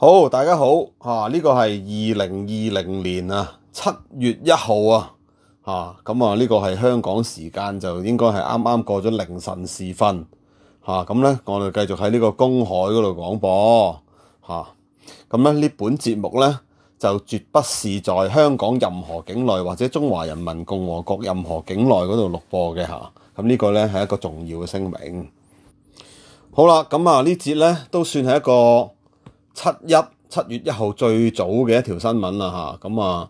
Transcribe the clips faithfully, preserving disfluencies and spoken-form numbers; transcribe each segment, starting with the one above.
好，大家好，啊呢個係二零二零年啊七月一號啊，吓咁啊呢個係香港時間就應該係啱啱過咗凌晨時分，吓咁咧我哋繼續喺呢個公海嗰度廣播，吓咁咧呢本節目咧就絕不是在香港任何境內或者中華人民共和國任何境內嗰度錄播嘅吓，咁呢個咧係一個重要嘅聲明。好啦，咁啊呢節咧都算係一個七一七月一號最早嘅一條新聞啦嚇，咁啊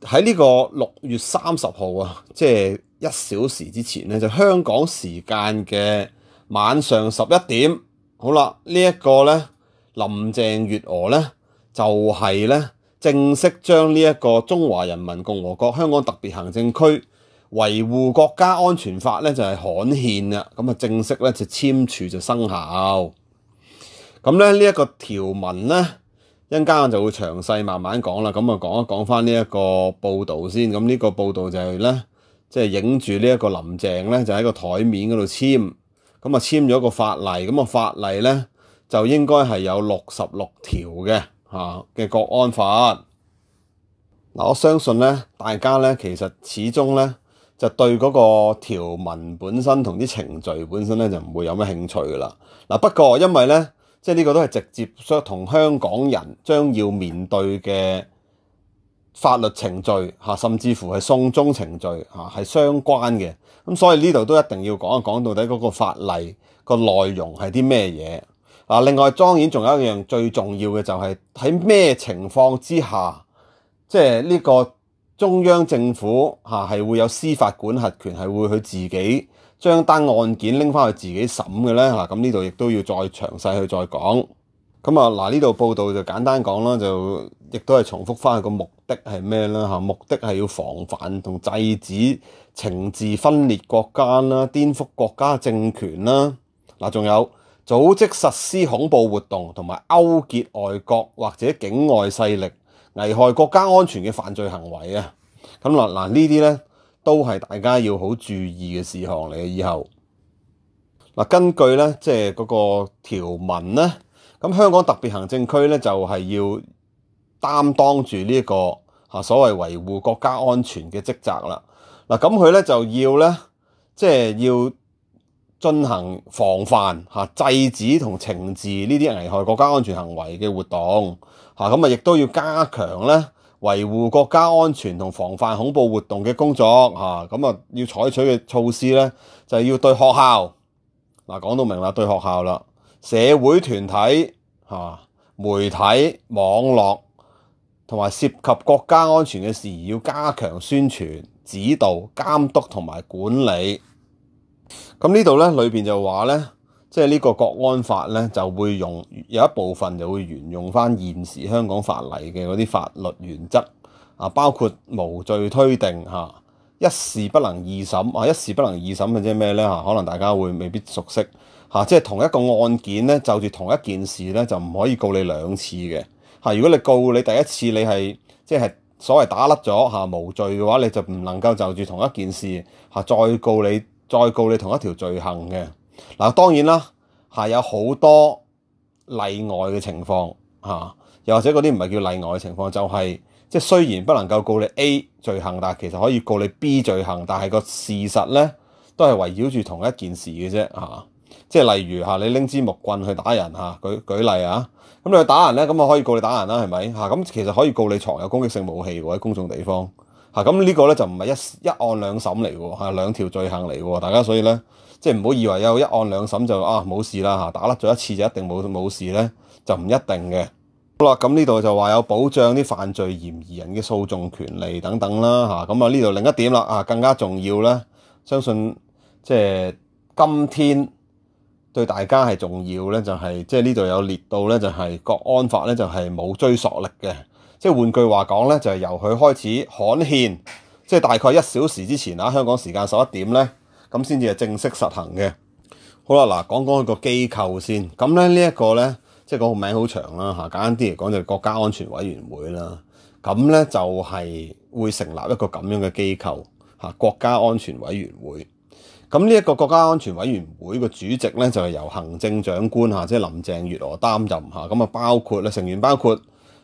喺呢個六月三十號啊，即係一小時之前咧，就香港時間嘅晚上十一點，好啦，呢一個咧林鄭月娥咧就係咧正式將呢一個中華人民共和國香港特別行政區維護國家安全法咧就係刊憲啦，咁啊正式咧就簽署就生效。咁咧呢一個條文咧，一陣間我就會詳細慢慢講啦。咁啊講一講翻呢一個報導先。咁呢個報導就係咧，即係影住呢一個林鄭咧，就喺個台面嗰度簽。咁啊簽咗個法例。咁啊法例咧就應該係有六十六條嘅嚇嘅國安法。嗱，我相信咧，大家咧其實始終咧就對嗰個條文本身同啲程序本身咧就唔會有咩興趣噶啦。嗱，不過因為咧。即係呢個都係直接同香港人將要面對嘅法律程序嚇，甚至乎係送中程序嚇係相關嘅。咁所以呢度都一定要講一講到底嗰個法例個內容係啲咩嘢啊？另外當然仲有一樣最重要嘅就係喺咩情況之下，即係呢個中央政府嚇係會有司法管轄權，係會佢自己將單案件拎翻去自己審嘅咧嚇，咁呢度亦都要再詳細去再講。咁啊嗱，呢度報道就簡單講啦，就亦都係重複翻個目的係咩啦嚇？目的係要防範同制止懲治分裂國家啦、顛覆國家政權啦。嗱，仲有組織實施恐怖活動同埋勾結外國或者境外勢力危害國家安全嘅犯罪行為啊。咁嗱嗱呢啲咧，都係大家要好注意嘅事項嚟嘅。以後嗱，根據咧即係嗰個條文咧，咁香港特別行政區咧就係要擔當住呢一個嚇所謂維護國家安全嘅職責啦。嗱，咁佢咧就要咧即係要進行防範嚇、制止同懲治呢啲危害國家安全行為嘅活動嚇，咁啊亦都要加強咧維護國家安全同防範恐怖活動嘅工作嚇，咁啊要採取嘅措施咧就係要對學校嗱講到明啦，對學校啦、社會團體嚇、媒體、網絡同埋涉及國家安全嘅事宜要加強宣傳、指導、監督同埋管理。咁呢度咧裏邊就話咧，即係呢個國安法咧就會用有一部分就會沿用翻現時香港法例嘅嗰啲法律原則啊，包括無罪推定嚇、一事不能二審啊，一事不能二審嘅即係咩咧嚇？可能大家會未必熟悉嚇，即係同一個案件咧就住同一件事咧就唔可以告你兩次嘅嚇。如果你告你第一次你係即係所謂打甩咗嚇無罪嘅話，你就唔能夠就住同一件事嚇再告你再告你同一條罪行嘅。嗱，當然啦，係有好多例外嘅情況嚇，又或者嗰啲唔係叫例外嘅情況，就係即係雖然不能夠告你 A 罪行，但係其實可以告你 B 罪行，但係個事實咧都係圍繞住同一件事嘅啫嚇。即係例如嚇，你拎支木棍去打人嚇，舉舉例啊，咁你去打人咧，咁啊可以告你打人啦，係咪嚇？咁其實可以告你藏有攻擊性武器喎喺公眾地方嚇。咁呢個咧就唔係一一案兩審嚟喎嚇，兩條罪行嚟喎，大家所以咧。即係唔好以為有一案兩審就啊冇事啦嚇，打甩咗一次就一定冇冇事咧，就唔一定嘅。好啦，咁呢度就話有保障啲犯罪嫌疑人嘅訴訟權利等等啦嚇。咁啊呢度另一點啦啊，更加重要咧，相信即係今天對大家係重要咧，就係即係呢度有列到咧，就係國安法咧就係冇追溯力嘅。即係換句話講咧，就係由佢開始刊憲，即係大概一小時之前啊，香港時間十一點咧。咁先至係正式實行嘅。好啦，嗱講講個機構先。咁咧呢一個咧，即係個名好長啦嚇。簡單啲嚟講就係國家安全委員會啦。咁咧就係會成立一個咁樣嘅機構嚇，國家安全委員會。咁呢一個國家安全委員會嘅主席咧就係由行政長官嚇，即係林鄭月娥擔任嚇。咁啊包括咧成員包括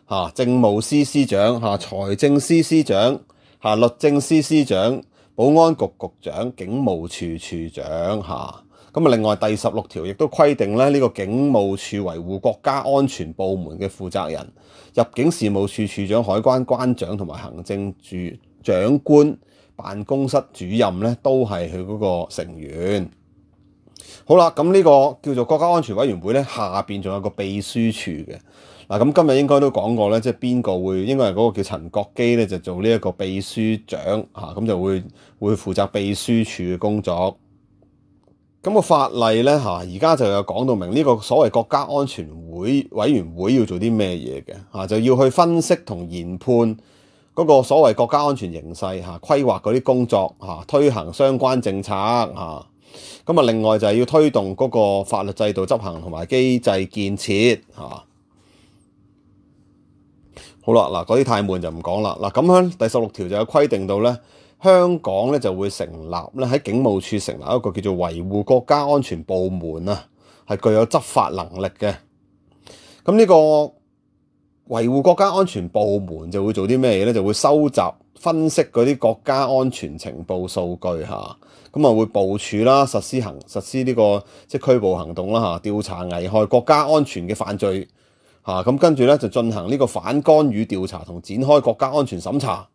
嚇政務司司長嚇、財政司司長嚇、律政司司長、保安局局長、警務處處長嚇。咁啊另外第十六條亦都規定咧，呢個警務處維護國家安全部門嘅負責人、入境事務處處長、海關關長同埋行政處長官辦公室主任咧，都係佢嗰個成員。好啦，咁呢個叫做國家安全委員會咧，下邊仲有個秘書處嘅。嗱，咁今日應該都講過咧，即係邊個會應該係嗰個叫陳國基咧，就做呢一個秘書長嚇，咁就會會負責秘書處嘅工作。咁個法例咧嚇，而家就有講到明呢個所謂國家安全會委員會要做啲咩嘢嘅嚇，就要去分析同研判嗰個所謂國家安全形勢嚇，規劃嗰啲工作嚇，推行相關政策嚇。咁啊，另外就係要推動嗰個法律制度執行同埋機制建設嚇。好啦，嗱，嗰啲太悶就唔講啦。嗱，咁樣第十六條就有規定到咧，香港咧就會成立咧喺警務處成立一個叫做維護國家安全部門啊，係具有執法能力嘅。咁呢個維護國家安全部門就會做啲咩嘢咧？就會收集、分析嗰啲國家安全情報數據嚇，咁啊會部署啦、實施行、實施呢個即係拘捕行動啦嚇，調查危害國家安全嘅犯罪嚇，咁跟住咧就進行呢個反干預調查同展開國家安全審查。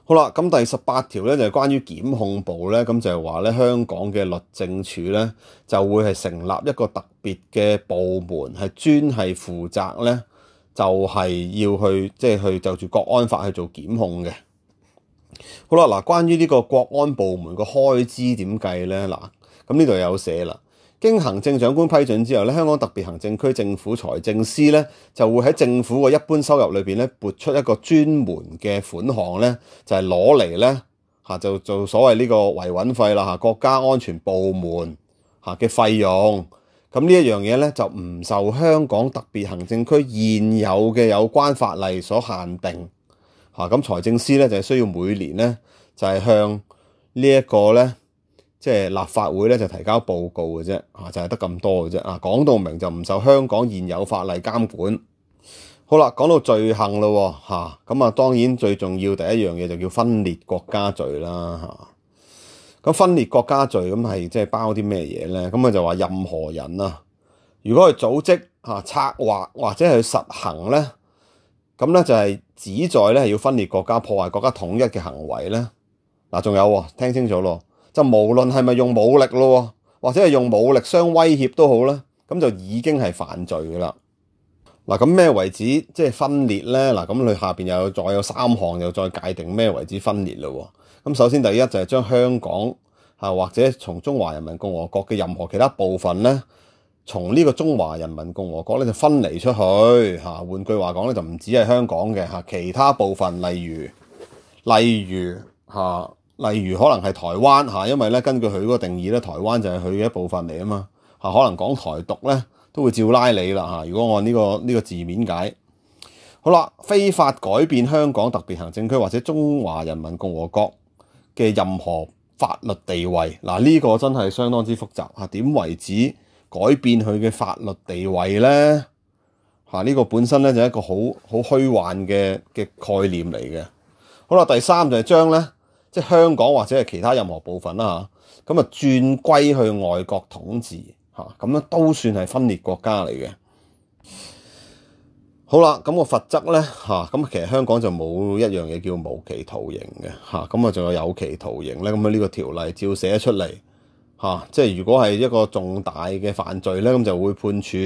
好啦，咁第十八條咧就係關於檢控部咧，咁就係話咧香港嘅律政處咧就會係成立一個特別嘅部門，係專係負責咧就係要去即係、就是、去就住國安法去做檢控嘅。好啦，嗱，關於呢個國安部門個開支點計咧，嗱，咁呢度有寫啦。經行政長官批准之後咧，香港特別行政區政府財政司咧就會喺政府嘅一般收入裏邊咧撥出一個專門嘅款項咧，就係攞嚟咧嚇就做所謂呢個維穩費啦嚇，國家安全部門嚇嘅費用。咁呢一樣嘢咧就唔受香港特別行政區現有嘅有關法例所限定嚇。咁財政司咧就係需要每年咧就係向呢一個咧。即係立法會咧就提交報告嘅啫，嚇就係得咁多嘅啫。啊，講到明就唔受香港現有法例監管。好啦，講到罪行咯，嚇咁啊，當然最重要第一樣嘢就叫分裂國家罪啦，嚇。咁分裂國家罪咁係即係包啲咩嘢咧？咁啊就話任何人啊，如果係組織嚇策劃或者係去實行咧，咁咧就係旨在咧係要分裂國家、破壞國家統一嘅行為咧。嗱，仲有聽清楚咯。就無論係咪用武力咯，或者係用武力相威脅都好啦，咁就已經係犯罪噶啦。嗱，咁咩為止即係分裂咧？嗱，咁佢下邊又有再有三項，又再界定咩為止分裂咯。咁首先第一就係將香港嚇或者從中華人民共和國嘅任何其他部分咧，從呢個中華人民共和國咧就分離出去嚇。換句話講咧，就唔止係香港嘅嚇，其他部分例如例如嚇。例如可能係台灣嚇，因為咧根據佢嗰個定義咧，台灣就係佢嘅一部分嚟啊嘛嚇，可能講台獨咧都會照拉你啦嚇。如果按呢個呢個字面解，好啦，非法改變香港特別行政區或者中華人民共和國嘅任何法律地位，嗱呢個真係相當之複雜嚇。點為止改變佢嘅法律地位咧嚇？呢個本身咧就係一個好好虛幻嘅嘅概念嚟嘅。好啦，第三就係將咧。即係香港或者係其他任何部分啦嚇，咁啊轉歸去外國統治嚇，咁樣都算係分裂國家嚟嘅。好啦，咁個罰則咧嚇，咁其實香港就冇一樣嘢叫無期徒刑嘅嚇，咁啊仲有有期徒刑咧，咁啊呢個條例照寫出嚟嚇，即係如果係一個重大嘅犯罪咧，咁就會判處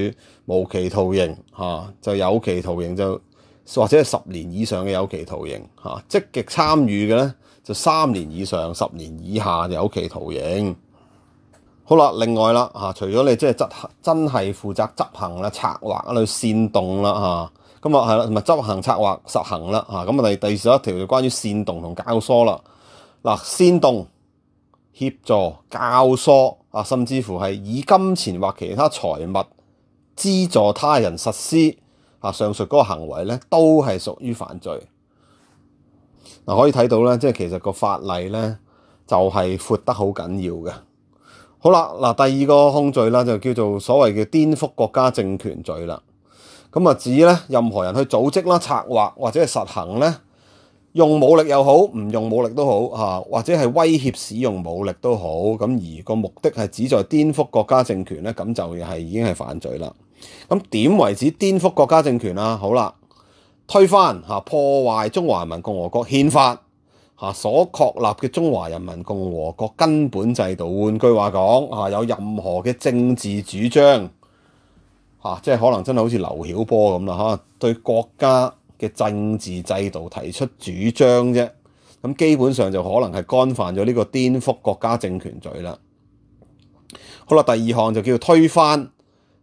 無期徒刑嚇，就有期徒刑就或者係十年以上嘅有期徒刑嚇，積極參與嘅咧。就三年以上、十年以下有期徒刑。好啦，另外啦嚇，除咗你即係執行真係負責執行啦、策劃去煽動啦嚇，咁啊係啦，同埋執行策劃實行啦嚇，咁啊第第十一條就關於煽動同教唆啦。嗱，煽動、協助、教唆啊，甚至乎係以金錢或其他財物資助他人實施啊上述嗰個行為咧，都係屬於犯罪。嗱，可以睇到咧，即係其實個法例咧，就係闊得好緊要嘅。好啦，嗱，第二個控罪啦，就叫做所謂嘅顛覆國家政權罪啦。咁啊指咧任何人去組織啦、策劃或者係實行咧，用武力又好，唔用武力都好嚇，或者係威脅使用武力都好，咁而個目的係旨在顛覆國家政權咧，咁就係已經係犯罪啦。咁點為止顛覆國家政權啊？好啦，推翻嚇、破壞中華人民共和國憲法嚇所確立嘅中華人民共和國根本制度。換句話講嚇，有任何嘅政治主張嚇，即係可能真係好似劉曉波咁啦嚇，對國家嘅政治制度提出主張啫，咁基本上就可能係干犯咗呢個顛覆國家政權罪啦。好啦，第二項就叫推翻，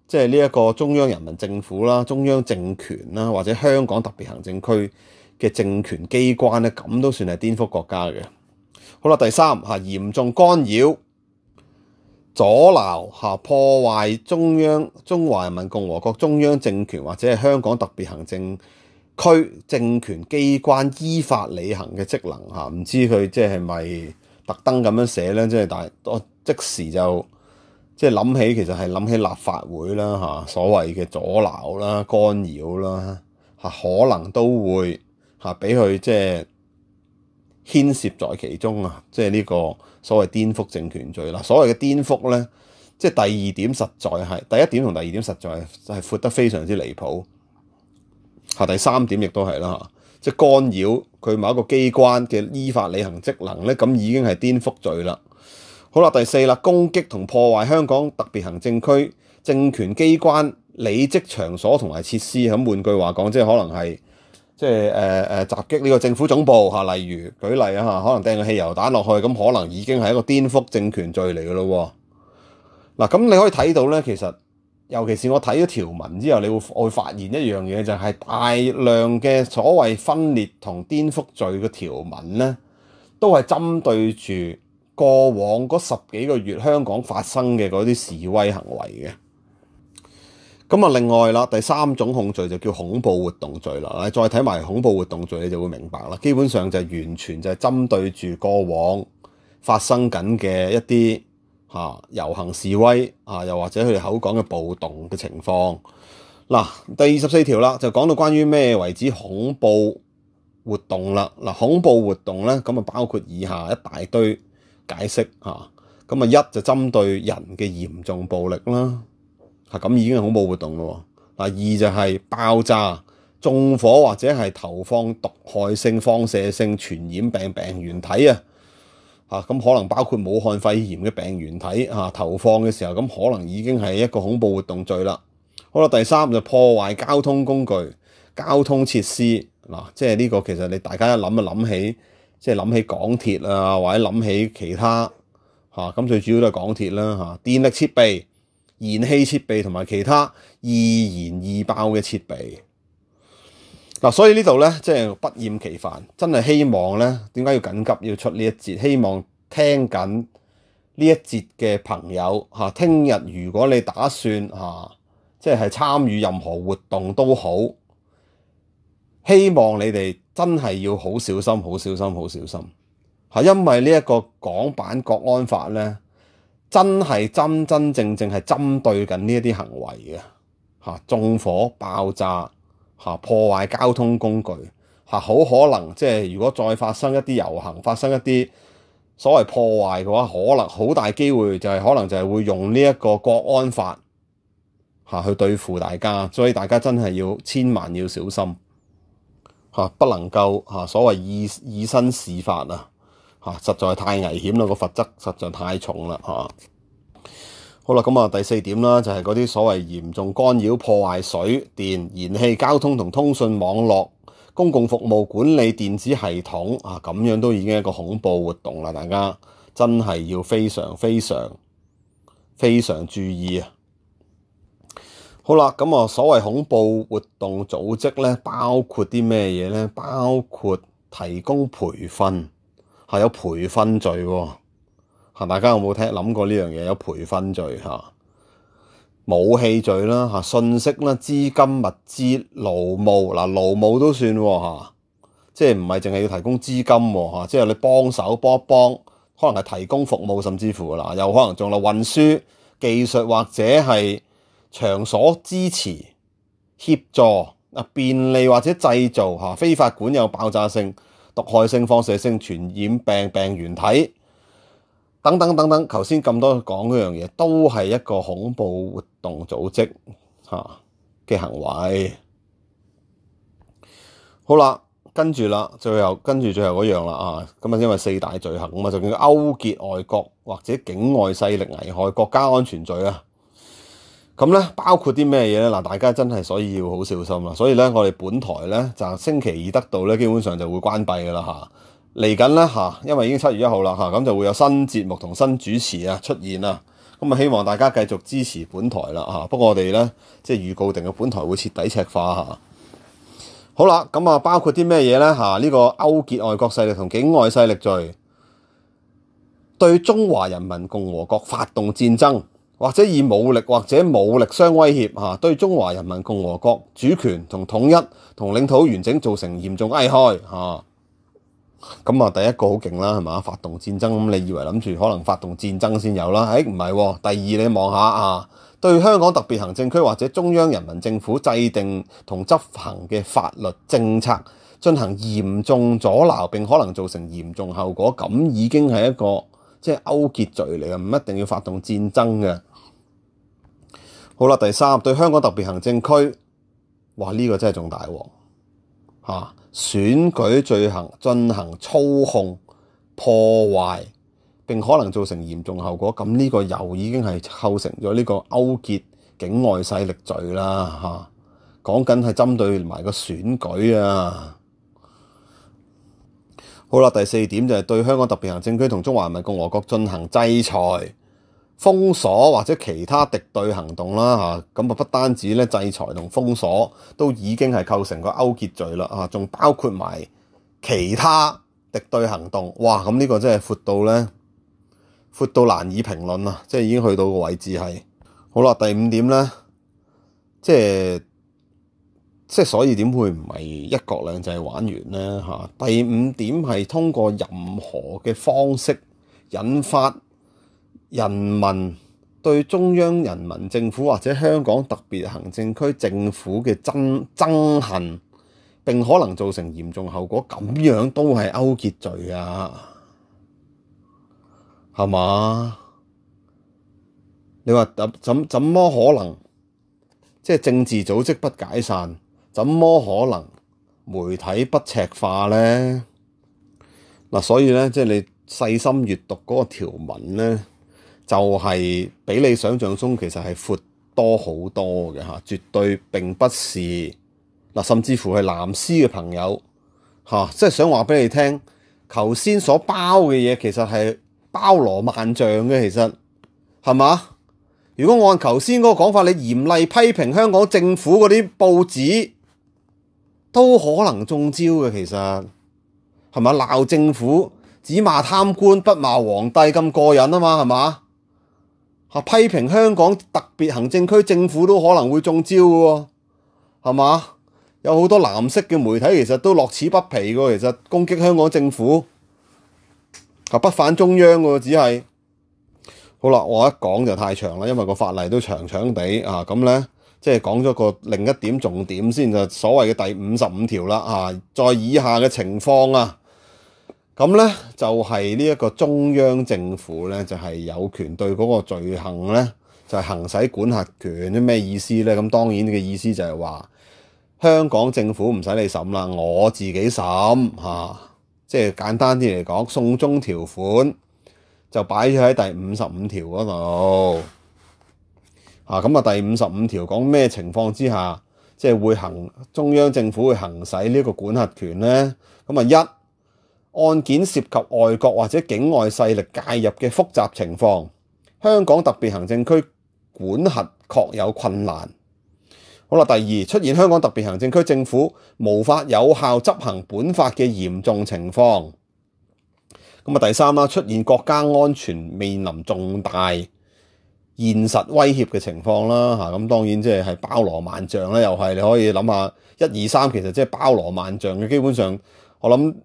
即係呢一個中央人民政府啦、中央政權啦，或者香港特別行政區嘅政權機關咧，咁都算係顛覆國家嘅。好啦，第三嚇嚴重干擾、阻撓嚇破壞中央中華人民共和國中央政權或者係香港特別行政區政權機關依法履行嘅職能嚇，唔知佢即係咪特登咁樣寫咧？即係但係我即時就即係諗起，其實係諗起立法會啦嚇，所謂嘅阻撓啦、干擾啦嚇，可能都會嚇俾佢即係牽涉在其中啊！即係呢個所謂顛覆政權罪啦。所謂嘅顛覆咧，即係第二點實在係第一點同第二點實在係係闊得非常之離譜。嚇，第三點亦都係啦嚇，即係干擾佢某一個機關嘅依法履行職能咧，咁已經係顛覆罪啦。好啦，第四啦，攻擊同破壞香港特別行政區政權機關履職場所同埋設施。咁換句話講，即係可能係即係誒誒襲擊呢個政府總部嚇，例如舉例啊嚇，可能掟個汽油彈落去，咁可能已經係一個顛覆政權罪嚟嘅咯喎。嗱，咁你可以睇到咧，其實尤其是我睇咗條文之後，你會會發現一樣嘢，就係大量嘅所謂分裂同顛覆罪嘅條文咧，都係針對住過往嗰十幾個月香港發生嘅嗰啲示威行為嘅。咁啊，另外啦，第三種控罪就叫恐怖活動罪啦。你再睇埋恐怖活動罪，你就會明白啦。基本上就係完全就係針對住過往發生緊嘅一啲嚇遊行示威啊，又或者佢哋口講嘅暴動嘅情況。嗱，第二十四條啦，就講到關於咩為之恐怖活動啦。嗱，恐怖活動咧，咁啊包括以下一大堆解釋嚇。咁啊，一就針對人嘅嚴重暴力啦，嚇咁已經係恐怖活動咯。嗱，二就係爆炸、縱火或者係投放毒害性、放射性傳染病病原體啊。嚇咁可能包括武漢肺炎嘅病原體嚇投放嘅時候，咁可能已經係一個恐怖活動罪啦。好啦，第三就破壞交通工具、交通設施嗱，即係呢個其實你大家一諗就諗起，即係諗起港鐵啊，或者諗起其他嚇，咁最主要都係港鐵啦嚇，電力設備、燃氣設備同埋其他易燃易爆嘅設備。嗱，所以呢度咧，即係不厭其煩，真係希望咧，點解要緊急要出呢一節？希望聽緊呢一節嘅朋友嚇，聽日如果你打算嚇，即係參與任何活動都好，希望你哋真係要好小心、好小心、好小心嚇，因為呢一個港版國安法咧，真係真真正正係針對緊呢一啲行為嘅嚇，縱火、爆炸。嚇破壞交通工具嚇，好可能即係如果再發生一啲遊行，發生一啲所謂破壞嘅話，可能好大機會就係可能就係會用呢一個國安法嚇去對付大家，所以大家真係要千萬要小心嚇，不能夠嚇所謂以以身試法啊嚇，實在太危險啦，個罰則實在太重啦嚇。好啦，咁啊第四點啦，就係嗰啲所謂嚴重干擾、破壞水電、燃氣、交通同通訊網絡、公共服務管理電子系統啊，咁樣都已經係一個恐怖活動啦，大家真係要非常非常非常注意啊！好啦，咁啊所謂恐怖活動組織咧，包括啲咩嘢咧？包括提供培訓，係有培訓罪喎。嚇！大家有冇聽諗過呢樣嘢？有培訓罪嚇、武器罪啦嚇、信息啦、資金物資、勞務嗱，勞務都算喎嚇，即係唔係淨係要提供資金喎嚇，即係你幫手幫一幫，可能係提供服務，甚至乎嗱，有可能仲有運輸技術或者係場所支持協助啊，便利或者製造嚇非法管有爆炸性、毒害性、放射性傳染病病原體等等等等。頭先咁多講嗰樣嘢，都係一個恐怖活動組織嚇嘅行為。好啦，跟住啦，最後跟住最後嗰樣啦啊，咁啊，因為四大罪行啊嘛，就叫勾結外國或者境外勢力危害國家安全罪啊。咁咧包括啲咩嘢咧？嗱，大家真係所以要好小心啦。所以咧，我哋本台咧就星期二得到咧，基本上就會關閉噶啦嚇。嚟緊咧嚇，因為已經七月一號啦嚇，咁就會有新節目同新主持啊出現啦。咁啊，希望大家繼續支持本台啦嚇。不過我哋咧即係預告定嘅本台會徹底赤化嚇。好啦，咁啊包括啲咩嘢咧嚇？呢個勾結外國勢力同境外勢力罪，對中華人民共和國發動戰爭，或者以武力或者武力相威脅嚇，對中華人民共和國主權同統一同領土完整造成嚴重危害嚇。咁啊，第一個好勁啦，係嘛？發動戰爭，咁你以為諗住可能發動戰爭先有啦？誒唔係喎。第二你望下啊，對香港特別行政區或者中央人民政府制定同執行嘅法律政策進行嚴重阻撓，並可能造成嚴重後果，咁已經係一個即係勾結罪嚟嘅，唔一定要發動戰爭嘅。好啦，第三，對香港特別行政區，哇呢、這個真係仲大鑊嚇！選舉罪行進行操控、破壞並可能造成嚴重後果，咁呢個又已經係構成咗呢個勾結境外勢力罪啦嚇。講緊係針對埋個選舉啊。好啦，第四點就係對香港特別行政區同中華人民共和國進行制裁、封鎖或者其他敵對行動啦嚇，咁啊不單止咧制裁同封鎖都已經係構成個勾結罪啦嚇，仲包括埋其他敵對行動。哇！咁呢個真係闊到咧，闊到難以評論啊！即係已經去到個位置係。好啦，第五點咧，即係即係所以點會唔係一國兩制玩完咧嚇？第五點係通過任何嘅方式引發人民對中央人民政府或者香港特別行政區政府嘅憎憎恨，並可能造成嚴重後果，咁樣都係勾結罪啊，係嘛？你話怎怎怎麼可能？即係政治組織不解散，怎麼可能媒體不赤化呢？嗱，所以咧，即係你細心閱讀嗰個條文咧，就係比你想象中其實係闊多好多嘅嚇，絕對並不是嗱，甚至乎係藍絲嘅朋友嚇，即係想話俾你聽，頭先所包嘅嘢其實係包羅萬象嘅，其實係嘛？如果按頭先嗰個講法，你嚴厲批評香港政府嗰啲報紙，都可能中招嘅，其實係咪？鬧政府只罵貪官不罵皇帝咁過癮啊嘛，係嘛？批評香港特別行政區政府都可能會中招嘅喎，係嘛？有好多藍色嘅媒體其實都樂此不疲嘅，其實攻擊香港政府，係不反中央嘅，只係好啦。我一講就太長啦，因為個法例都長長地啊，咁咧即係講咗個另一點重點先，就所謂嘅第五十五條啦啊，在以下嘅情況啊。咁咧就係呢一個中央政府咧，就係有權對嗰個罪行咧，就係行使管轄權。啲咩意思咧？咁當然嘅意思就係話香港政府唔使你審啦，我自己審嚇。即係簡單啲嚟講，送中條款就擺咗喺第五十五條嗰度嚇。咁啊，第五十五條講咩情況之下，即係會行中央政府會行使呢個管轄權咧？咁啊一。案件涉及外國或者境外勢力介入嘅複雜情況，香港特別行政區管轄確有困難。好啦，第二，出現香港特別行政區政府無法有效執行本法嘅嚴重情況。咁啊，第三啦，出現國家安全面臨重大現實威脅嘅情況啦嚇。咁當然即係係包羅萬象啦，又係你可以諗下一二三，其實即係包羅萬象嘅。基本上我諗。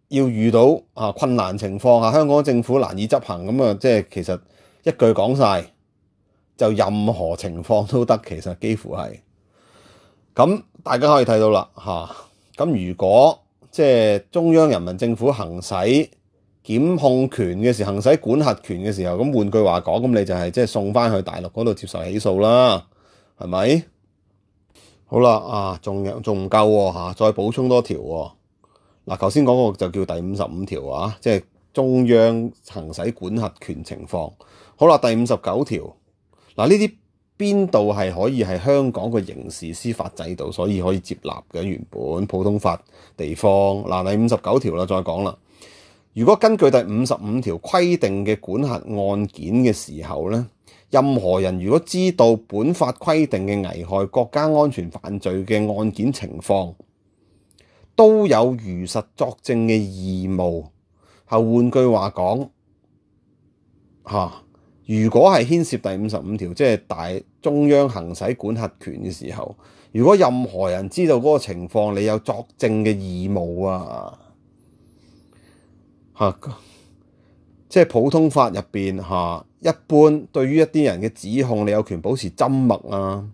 要遇到啊困難情況下，香港政府難以執行咁啊，即係其實一句講晒，就任何情況都得，其實幾乎係。咁大家可以睇到啦嚇。咁如果即係中央人民政府行使檢控權嘅時候，行使管轄權嘅時候，咁換句話講，咁你就係即係送翻去大陸嗰度接受起訴啦，係咪？好啦，啊，仲有仲唔夠喎嚇？再補充多條喎。嗱，頭先講個就叫第五十五條啊，即係中央行使管轄權情況。好啦，第五十九條，嗱，呢啲邊度係可以係香港個刑事司法制度，所以可以接納嘅原本普通法地方。嗱，第五十九條啦，再講啦。如果根據第五十五條規定嘅管轄案件嘅時候咧，任何人如果知道本法規定嘅危害國家安全犯罪嘅案件情況，都有如實作證嘅義務。後換句話講，嚇，如果係牽涉第五十五條，即係大中央行使管轄權嘅時候，如果任何人知道嗰個情況，你有作證嘅義務啊！嚇，即係普通法入邊嚇，一般對於一啲人嘅指控，你有權保持緘默啊！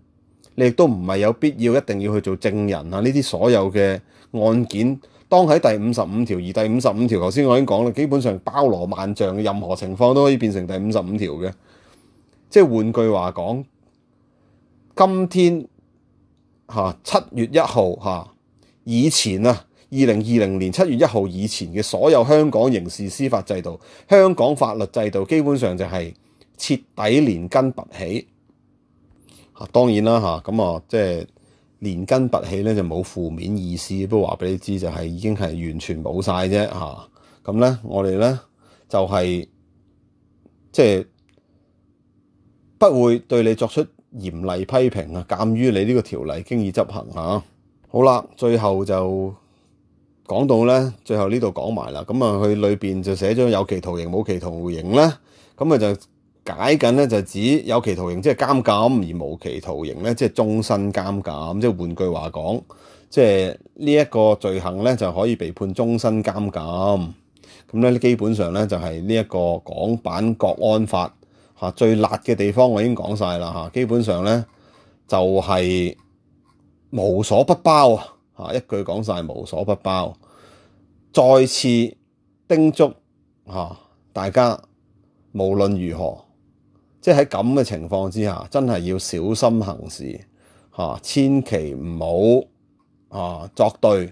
你亦都唔係有必要一定要去做證人啊！呢啲所有嘅案件，當喺第五十五條，而第五十五條頭先我已經講啦，基本上包羅萬象嘅，任何情況都可以變成第五十五條嘅。即係換句話講，今天嚇七月一號嚇以前啊，二零二零年七月一號以前嘅所有香港刑事司法制度、香港法律制度，基本上就係徹底連根拔起。嚇，當然啦嚇，咁啊即係連根拔起咧就冇負面意思，不過話俾你知就係已經係完全冇晒啫嚇。咁咧我哋咧就係即係不會對你作出嚴厲批評啊，鑑於你呢個條例經已執行嚇。好啦，最後就講到咧，最後呢度講埋啦。咁啊，佢裏邊就寫咗有期徒刑、冇期徒刑咧，咁啊就解緊咧就指有期徒刑即係監禁，而無期徒刑咧即係終身監禁。即係換句話講，即係呢一個罪行咧就可以被判終身監禁。咁咧基本上咧就係呢一個港版國安法嚇最辣嘅地方，我已經講晒啦嚇。基本上咧就係無所不包啊嚇，一句講晒無所不包。再次叮囑嚇大家，無論如何，即係喺咁嘅情況之下，真係要小心行事嚇，千祈唔好啊作對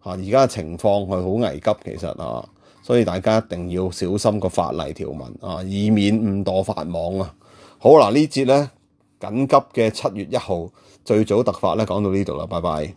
嚇。而家嘅情況係好危急，其實啊，所以大家一定要小心個法例條文啊，以免誤墮法網啊。好嗱，呢節咧緊急嘅七月一號最早特法咧講到呢度啦，拜拜。